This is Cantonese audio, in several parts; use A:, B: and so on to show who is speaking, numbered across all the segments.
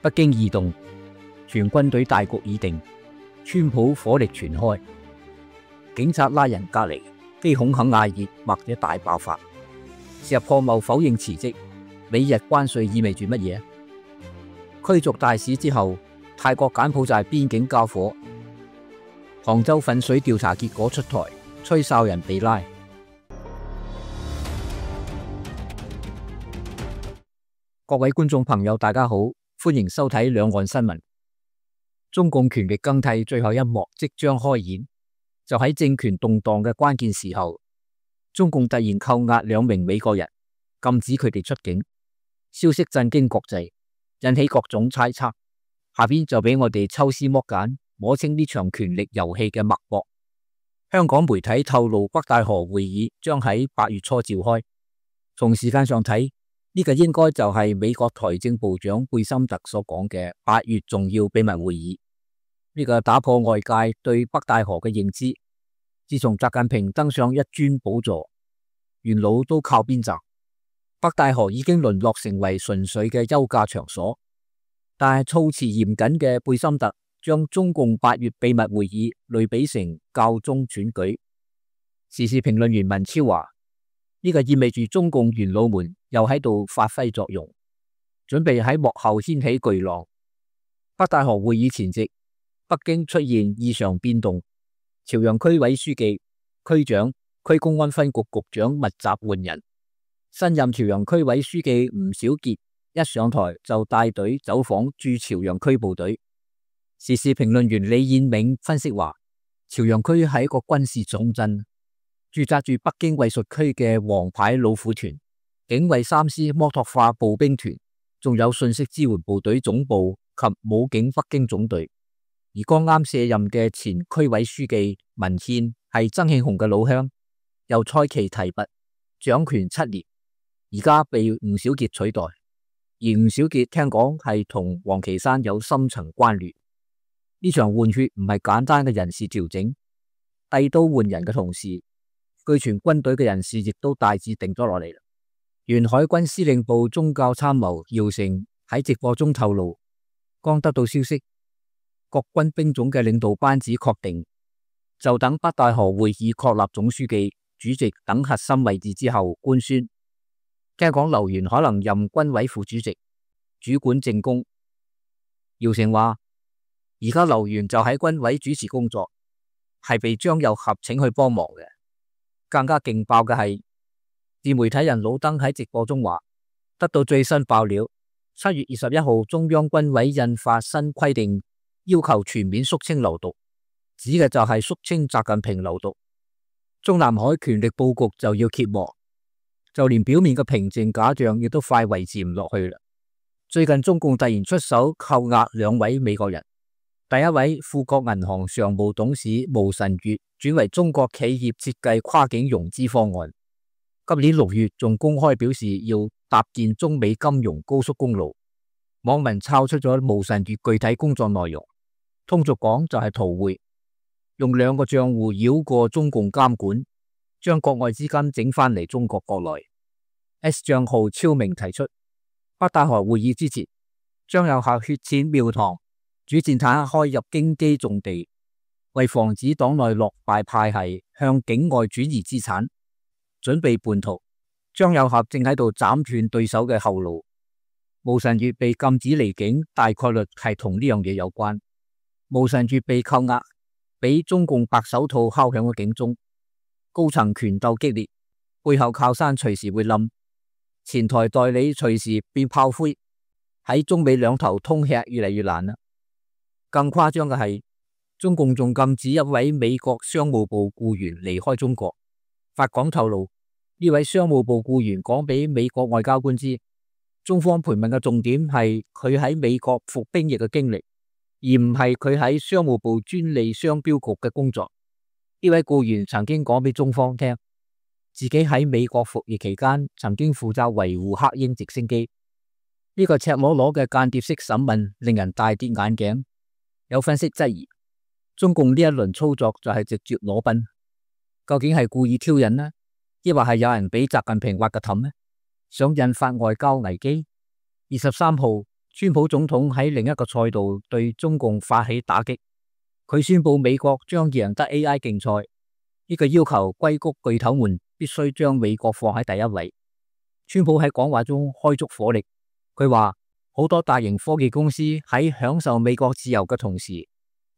A: 北京異動，全軍隊大局已定，川普火力全開，警察拉人隔離，非恐嚇艾熱或者大爆發。石破茂否認辭職，美日關稅意味住乜嘢？驅逐大使之後，泰國柬埔寨邊境交火，杭州糞水調查結果出台，吹哨人被拉。各位觀眾朋友，大家好，歡迎收睇兩岸新聞。中共權力更替最後一幕即將開演，就喺政權動盪嘅關鍵時候，中共突然扣押2名美國人，禁止佢哋出境，消息震驚國際，引起各種猜測。下邊就俾我哋抽絲剝繭，摸清呢場權力遊戲嘅脈搏。香港媒體透露，北戴河會議將喺8月初召開。從時間上睇，呢個應該就係美國財政部長貝森特所講嘅8月重要秘密會議。呢個打破外界對北戴河嘅認知。自從習近平登上一尊寶座，元老都靠邊站，北戴河已經淪落成為純粹嘅休假場所。但係措辭嚴謹嘅貝森特將中共8月秘密會議類比成教宗選舉。時事評論員文超話：呢個意味住中共元老們又喺度發揮作用，準備喺幕後掀起巨浪。北戴河會議前夕，北京出現異常變動，朝陽區委書記、區長、區公安分局局長密集換人。新任朝陽區委書記吳小傑一上台就帶隊走訪駐朝陽區部隊。時事評論員李彥銘分析話：朝陽區係一個軍事重鎮，駐紮住北京衛戍區嘅王牌老虎團、警衛三師摩托化步兵團，仲有信息支援部隊總部及武警北京總隊。而剛啱卸任嘅前區委書記文獻係曾慶紅嘅老鄉，由蔡奇提拔，掌權7年，而家被吳小傑取代。而吳小傑聽講係同王岐山有深層關聯。呢場換血唔係簡單嘅人事調整，遞刀換人嘅同時，據傳軍隊嘅人事亦都大致定咗落嚟啦。原海軍司令部宗教參謀姚成喺直播中透露，剛得到消息，各軍兵種嘅領導班子確定，就等北戴河會議確立總書記、主席等核心位置之後官宣。聽講劉源可能任軍委副主席，主管政工。姚成話：而家劉源就喺軍委主持工作，係被張又俠請去幫忙嘅。更加勁爆嘅係，自媒體人老登喺直播中話，得到最新爆料，7月21號中央軍委印發新規定，要求全面肅清流毒，指嘅就係肅清習近平流毒。中南海權力布局就要揭幕。就連表面嘅平靜假象亦都快維持唔落去啦。最近中共突然出手扣押2位美國人，第一位富國銀行常務董事毛臣月轉為中國企業設計跨境融資方案。今年6月仲公開表示要搭建中美金融高速公路，網民抄出咗毛臣月具體工作內容，通俗講就係逃匯，用2個賬戶繞過中共監管，將國外資金整返嚟中國國內。S 賬號超明提出，北戴河會議之前，張又俠血濺廟堂，主戰坦克開入京畿重地，為防止黨內落敗派系向境外轉移資產，準備叛逃。張又俠正喺度斬斷對手嘅後路。毛臣月被禁止離境，大概率係同呢樣嘢有關。毛臣月被扣押，俾中共白手套敲響咗警鐘。高層權鬥激烈，背後靠山隨時會冧，前台代理隨時變炮灰，喺中美兩頭通吃越嚟越難啦。更誇張嘅係，中共仲禁止一位美國商務部僱員離開中國。法廣透露，呢位商務部僱員講俾美國外交官知，中方盤問嘅重點係佢喺美國服兵役嘅經歷，而唔係佢喺商務部專利商標局嘅工作。呢位僱員曾經講俾中方聽，自己喺美國服役期間曾經負責維護黑鷹直升機。呢個赤裸裸嘅間諜式審問令人大跌眼鏡。有分析質疑，中共呢一輪操作就係直接裸奔，究竟係故意挑釁呢？抑或係有人俾習近平挖個氹呢？想引發外交危機？23號川普總統喺另一個賽道對中共發起打擊，佢宣布美國將贏得 AI 競賽，呢個要求硅谷巨頭們必須將美國放喺第一位。川普喺講話中開足火力，佢話好多大型科技公司喺享受美國自由嘅同時，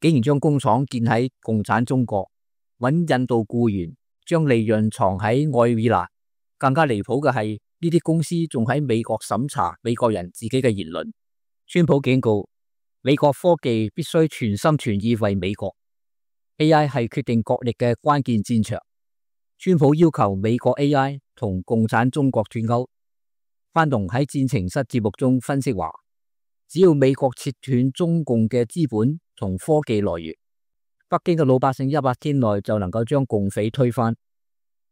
A: 竟然將工廠建喺共產中國，揾印度僱員，將利潤藏喺愛爾蘭。更加離譜嘅係，呢啲公司仲喺美國審查美國人自己嘅言論。川普警告，美國科技必須全心全意為美國。AI 係決定國力嘅關鍵戰場。川普要求美國 AI 同共產中國脫鈎。范龍喺戰情室節目中分析話，只要美國切斷中共嘅資本同科技來源，北京嘅老百姓100天內就能夠將共匪推翻。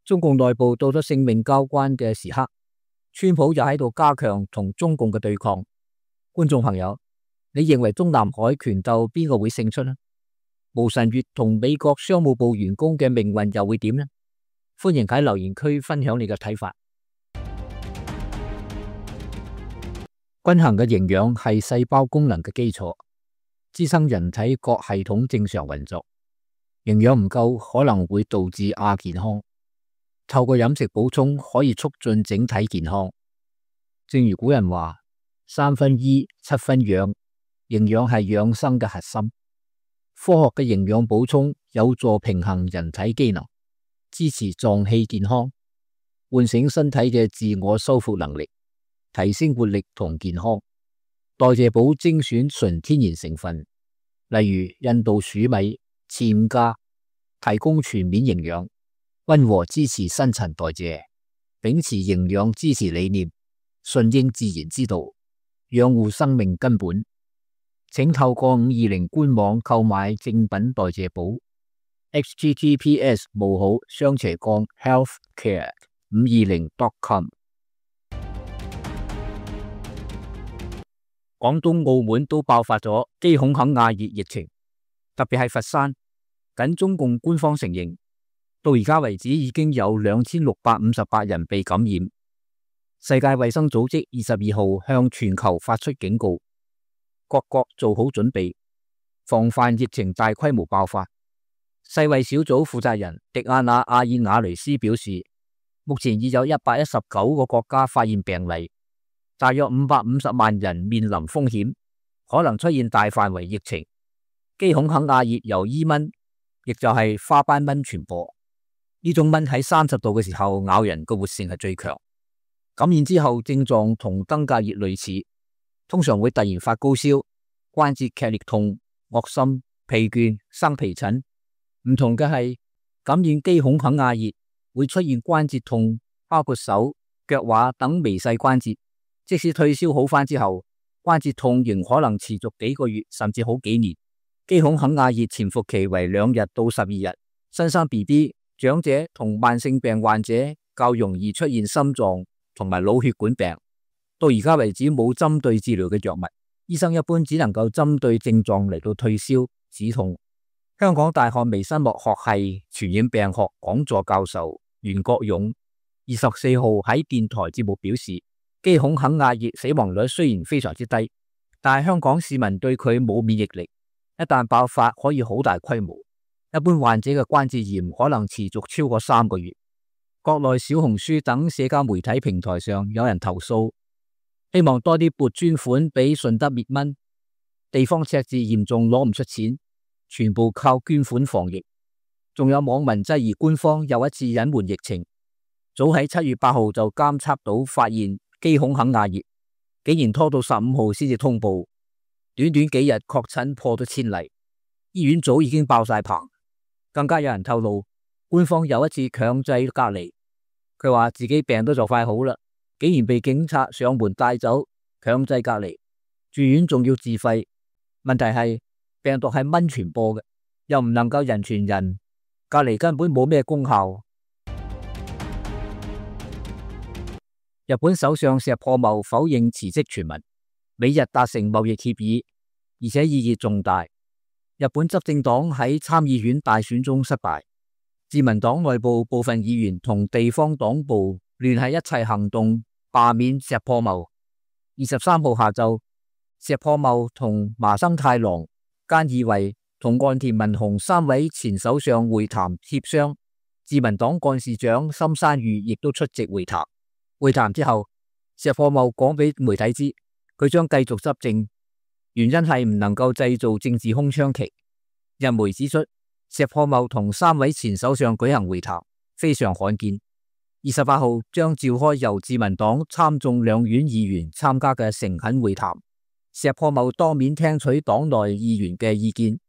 A: 中共內部到咗性命交關嘅時刻，川普又喺度加強同中共嘅對抗。觀眾朋友，你認為中南海權鬥邊個會勝出呢？毛晨月同美國商務部員工嘅命運又會點呢？歡迎喺留言區分享你嘅睇法。均衡嘅營養係細胞功能嘅基礎，支撐人體各系統正常運作。營養唔夠可能會導致亞健康。透過飲食補充可以促進整體健康。正如古人話，3分醫，7分養，營養係養生嘅核心。科學嘅營養補充有助平衡人體機能，支持臟器健康，喚醒身體嘅自我修復能力，提升活力同健康。代謝寶精選純天然成分，例如印度黍米、暹茄，提供全面營養，溫和支持新陳代謝，秉持營養支持理念，順應自然之道，養護生命根本。請透過520官網購買正品代謝寶 https://healthcare520.com。廣東澳門都爆發咗基孔肯亞熱疫情，特別係佛山。僅中共官方承認，到而家為止已經有2658人被感染。世界衛生組織22號向全球發出警告，各國做好準備，防範疫情大規模爆發。世衛小組負責人迪亞娜·阿爾瓦雷斯表示，目前已有119個國家發現病例，大約550萬人面臨風險，可能出現大範圍疫情。基孔肯亞熱由伊蚊，亦就係花斑蚊傳播。呢種蚊喺30度嘅時候咬人嘅活性係最強，感染之後症狀同登革熱類似，通常會突然發高燒、關節劇烈痛、噁心、疲倦、生皮疹。唔同嘅係，感染基孔肯亞熱會出現關節痛，包括手、腳踝等微細關節。即使退燒好返之後，關節痛仍可能持續幾個月甚至好幾年。基孔肯亞熱潛伏期為2日到12日，新生 BB、長者同慢性病患者較容易出現心臟同埋腦血管病。到而家為止冇針對治療嘅藥物，醫生一般只能夠針對症狀嚟到退燒止痛。香港大學微生物學系傳染病學講座教授袁國勇24號喺電台節目表示，基孔肯亞熱死亡率雖然非常之低，但係香港市民對佢冇免疫力，一旦爆發可以好大規模。一般患者嘅關節炎可能持續超過3個月。國內小紅書等社交媒體平台上有人投訴，希望多啲撥專款俾順德滅蚊，地方赤字嚴重攞唔出錢，全部靠捐款防疫。仲有網民質疑官方又一次隱瞞疫情，早喺7月8號就監測到發現基孔肯亞熱，竟然拖到15號先至通報，短短幾日確診破咗1000例，醫院早已經爆晒棚。更加有人透露，官方有一次強制隔離，佢話自己病都就快好啦，竟然被警察上門帶走，強制隔離，住院仲要自費。問題係病毒係蚊傳播嘅，又唔能夠人傳人，隔離根本冇咩功效。日本首相石破茂否認辭職傳聞，美日達成貿易協議，而且意義重大。日本執政黨喺參議院大選中失敗，自民黨內部部分議員同地方黨部聯繫一齊行動罷免石破茂。23號下晝，石破茂同麻生太郎、菅義偉同岸田文雄3位前首相會談協商，自民黨幹事長森山裕亦都出席會談。會談之後，石破茂講俾媒體知，佢將繼續執政，原因係唔能夠製造政治空窗期。日媒指出，石破茂同3位前首相舉行會談，非常罕見。28號將召開由自民黨參眾兩院議員參加嘅誠懇會談，石破茂當面聽取黨內議員嘅意見。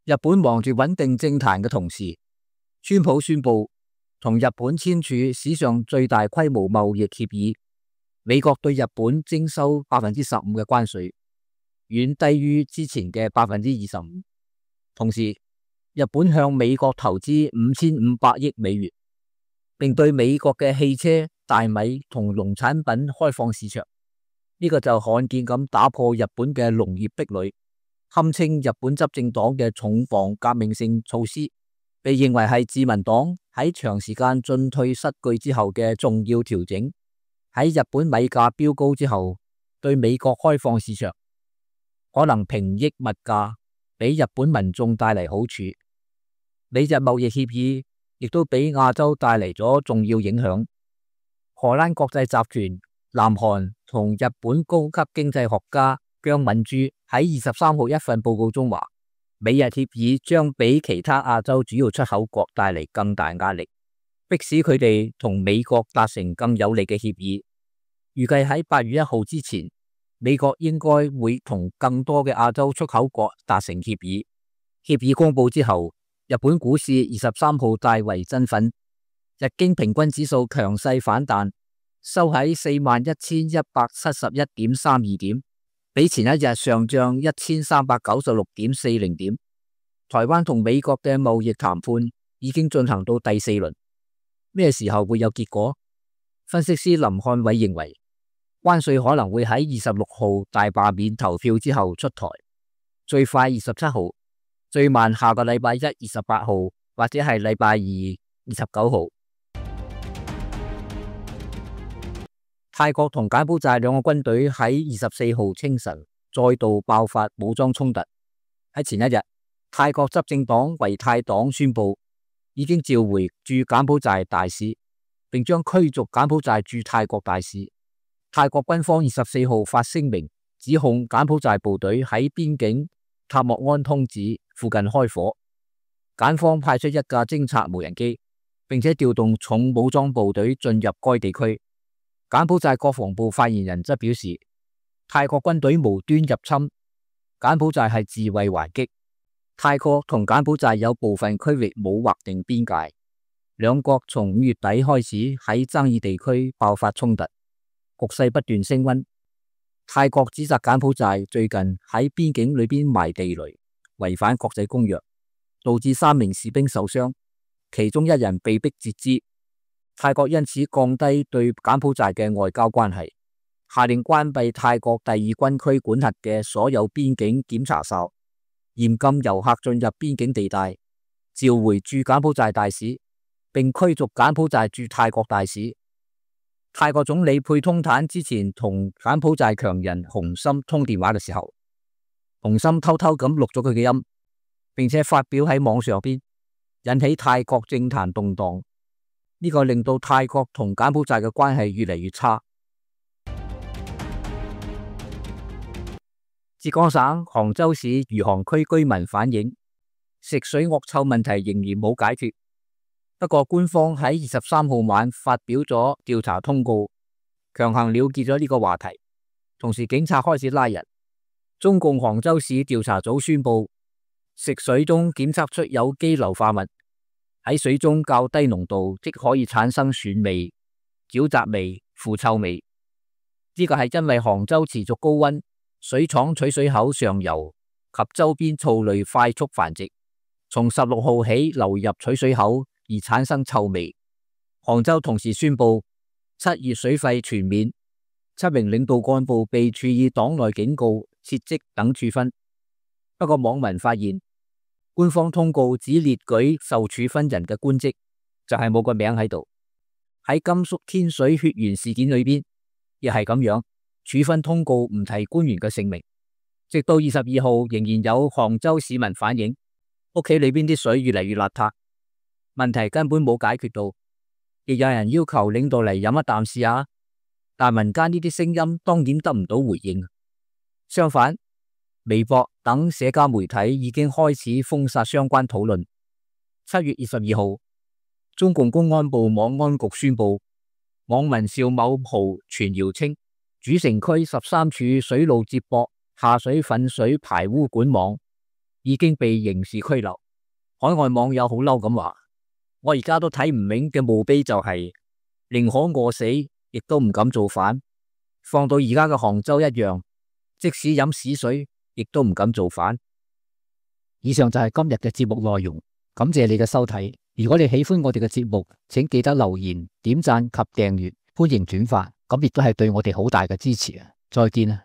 A: 日本忙住穩定政壇嘅同時，川普宣布同日本簽署史上最大規模貿易協議，美國對日本徵收15%嘅關稅，遠低於之前嘅25%。同時，日本向美國投資5500億美元，並對美國嘅汽車、大米同農產品開放市場。呢個就罕見咁打破日本嘅農業壁壘，堪稱日本執政黨嘅重磅革命性措施，被認為係自民黨喺長時間進退失據之後嘅重要調整。喺日本米價飆高之後，對美國開放市場，可能平抑物價，俾日本民眾帶嚟好處。美日貿易協議亦都俾亞洲帶嚟咗重要影響。荷蘭國際集團、南韓同日本高級經濟學家姜敏珠喺23號一份報告中話，美日協議將俾其他亞洲主要出口國帶嚟更大壓力，迫使佢哋同美國達成更有利嘅協議。預計喺8月1號之前，美國應該會同更多嘅亞洲出口國達成協議。協議公布之後，日本股市23號大為振奮，日經平均指數強勢反彈，收喺41,171.32點，比前一日上漲1396.40點。台灣同美國嘅貿易談判已經進行到第4輪，咩時候會有結果？分析師林漢偉認為，關稅可能會喺26號大罷免投票之後出台，最快27號，最慢下個禮拜一28號，或者係禮拜二29號。泰國同柬埔寨兩個軍隊喺24號清晨再度爆發武裝衝突。喺前一日，泰國執政黨為泰黨宣布已經召回駐柬埔寨大使，並將驅逐柬埔寨駐泰國大使。泰國軍方24號發聲明，指控柬埔寨部隊喺邊境塔莫安通子附近開火。柬方派出1架偵察無人機，並且調動重武裝部隊進入該地區。柬埔寨國防部發言人則表示，泰國軍隊無端入侵，柬埔寨係自衛還擊。泰國同柬埔寨有部分區域冇劃定邊界，兩國從5月底開始喺爭議地區爆發衝突，局勢不斷升溫。泰國指責柬埔寨最近喺邊境裏邊埋地雷，違反國際公約，導致3名士兵受傷，其中1人被迫截肢。泰國因此降低對柬埔寨嘅外交關係，下令關閉泰國第2軍區管轄嘅所有邊境檢查哨，嚴禁遊客進入邊境地帶，召回駐柬埔寨大使，並驅逐柬埔寨駐泰國大使。泰國總理佩通坦之前同柬埔寨強人洪森通電話嘅時候，洪森偷偷咁錄咗佢嘅音，並且發表喺網上邊，引起泰國政壇動盪。呢個令到泰國同柬埔寨嘅關係越嚟越差。浙江省杭州市餘杭區居民反映，食水惡臭問題仍然冇解決。不過官方喺23號晚發表咗調查通告，強行了結咗呢個話題。同時警察開始拉人。中共杭州市調查組宣布，食水中檢測出有機硫化物。喺水中較低濃度即可以產生蒜味、沼澤味、腐臭味。呢個係因為杭州持續高溫，水廠取水口上游及周邊藻類快速繁殖，從16號起流入取水口而產生臭味。杭州同時宣布7月水費全免，7名領導幹部被處以黨內警告、撤職等處分。不過網民發現，官方通告只列舉受處分人嘅官職，就係冇個名喺度。喺甘肅天水血源事件裏邊，亦係咁樣，處分通告唔提官員嘅姓名。直到22號，仍然有杭州市民反映屋企裏邊啲水越嚟越邋遢，問題根本冇解決到，亦有人要求領導嚟飲一啖試下，但民間呢啲聲音當然得唔到回應。相反，微博等社交媒體已經開始封殺相關討論。7月22號，中共公安部網安局宣布，網民邵某豪傳謠稱主城區13處水路接駁下水糞水排污管網已經被刑事拘留。海外網友好嬲咁話：我而家都睇唔明嘅墓碑就係寧可餓死，亦都唔敢造反。放到而家嘅杭州一樣，即使飲屎水，亦都唔敢造反。以上就係今日嘅節目內容，感謝你嘅收睇。如果你喜歡我哋嘅節目，請記得留言、點讚及訂閱，歡迎轉發，咁亦都係對我哋好大嘅支持啊！再見啊！